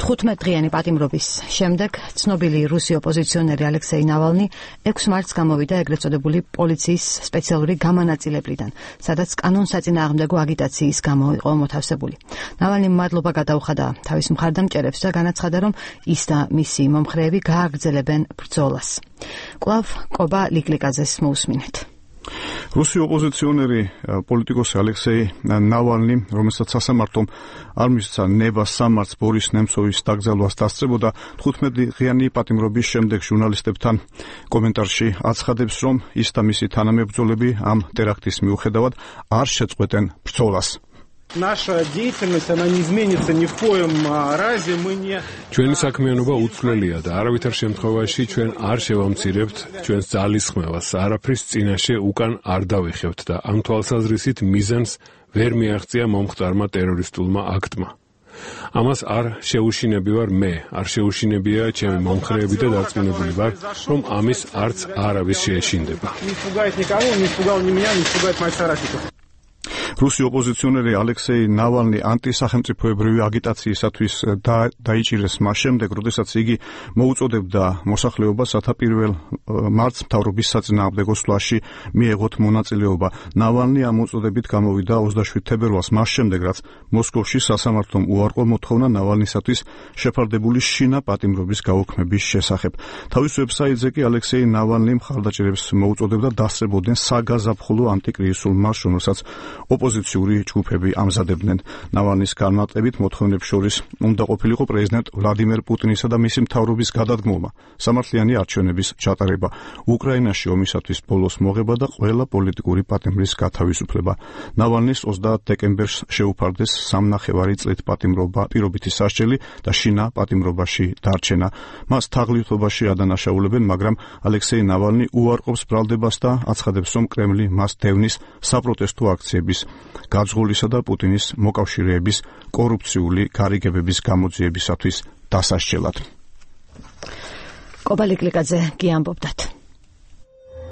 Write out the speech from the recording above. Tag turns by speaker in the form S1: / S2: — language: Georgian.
S1: 15-დღიანი პატიმრობის შემდეგ ცნობილი რუსი ოპოზიციონერი ალექსეი ნავალნი 6 მარტს გამოვიდა ეგრეთ წოდებული პოლიციის სპეციალური გამონაწილებლიდან, სადაც კანონსაწინააღმდეგო აგიტაციის გამო იყო მოთავსებული. ნავალნიმ მადლობა გადაუხადა თავის მხარდამჭერებს და განაცხადა, რომ ის და მისი მომხრეები გააგრძელებენ ბრძოლას. კვლავ კობა ლიკლიკაძეს მოусმინეთ.
S2: რუსი ოპოზიციონერი პოლიტიკოსი ალექსეი ნავალნი, რომელსაც სასამართლომ არ მისცა ნება 3 მარტს ბორის ნემცოვის დაკრძალვას დასწრებოდა, 15-დღიანი პატიმრობის შემდეგ ჟურნალისტებთან კომენტარში აცხადებს, რომ ის და მისი თანამებრძოლები ამ ტერაქტის მიუხედავად არ შეწყვეტენ ბრძოლას.
S3: Наша деятельность, она не изменится ни в коем разе, мы не...
S4: ჩვენი საქმიანობა უცვლელია და არავითარ შემთხვევაში ჩვენ არ შევამცირებთ ჩვენს ძალისხმევას, არაფრის წინაშე უკან არ დავიხევთ და ამ თვალსაზრისით მიზანს ვერ მიაღწია მომხდარმა ტერორისტულმა აქტმა. ამას არ შეუშინები ვარ მე, არ შეუშინებია ჩემი მომხრეები და დარწმუნებული ვარ, რომ ამის არც არავის შეეშინდება.
S2: რუსი ოპოზიციონერი ალექსეი ნავალნი ანტისახელმწიფოებრივი აგიტაციისათვის დაიჭირეს მას შემდეგ, როდესაც იგი მოუწოდებდა მოსახლეობას 1 მარტს მთავრობის საწინააღმდეგო სვლაში მიეღოთ მონაწილეობა. ნავალნი ამ მოწოდებით გამოვიდა 27 თებერვალს, მას შემდეგ, რაც მოსკოვში სასამართლომ უარყო მოთხოვნა ნავალნისათვის შეფარდებული შინა პატიმრობის გაუქმების შესახებ. თავის ვებსაიტზე კი ალექსეი ნავალნი მხარდაჭერებს მოუწოდებდა დასწრებოდნენ საგაზაფხულო ანტიკრიზისულ მარშს, რომელსაც ოპოზიციური ჯგუფები ამზადებდნენ. ნავალნის განმარტებით მოთხოვნებს შორის უნდა ყოფილიყო პრეზიდენტ ვლადიმერ პუტინისა და მისი მთავრობის გადადგმობა, სამართლიანი არჩევნების ჩატარება, უკრაინაში ომისათვის ბოლოს მოღება და ყველა პოლიტიკური პატიმრის გათავისუფლება. ნავალნის 30 დეკემბერს შეუფარდეს 3,5 წლით პატიმრობა, პირობითი სასჯელი და შინა პატიმრობაში დარჩენა. მას თაღლითობაში ადანაშაულებენ, მაგრამ ალექსეი ნავალნი უარყოფს ბრალდებას და აცხადებს, რომ კრემლი მას დევნის საპროტესტო აქციების გაძღულისა და პუტინის მოკავშირეების კორუფციული გარიგებების გამოძიებისათვის დასასჯელად.
S1: კობა ლიკლიკაძე კი ამბობდათ.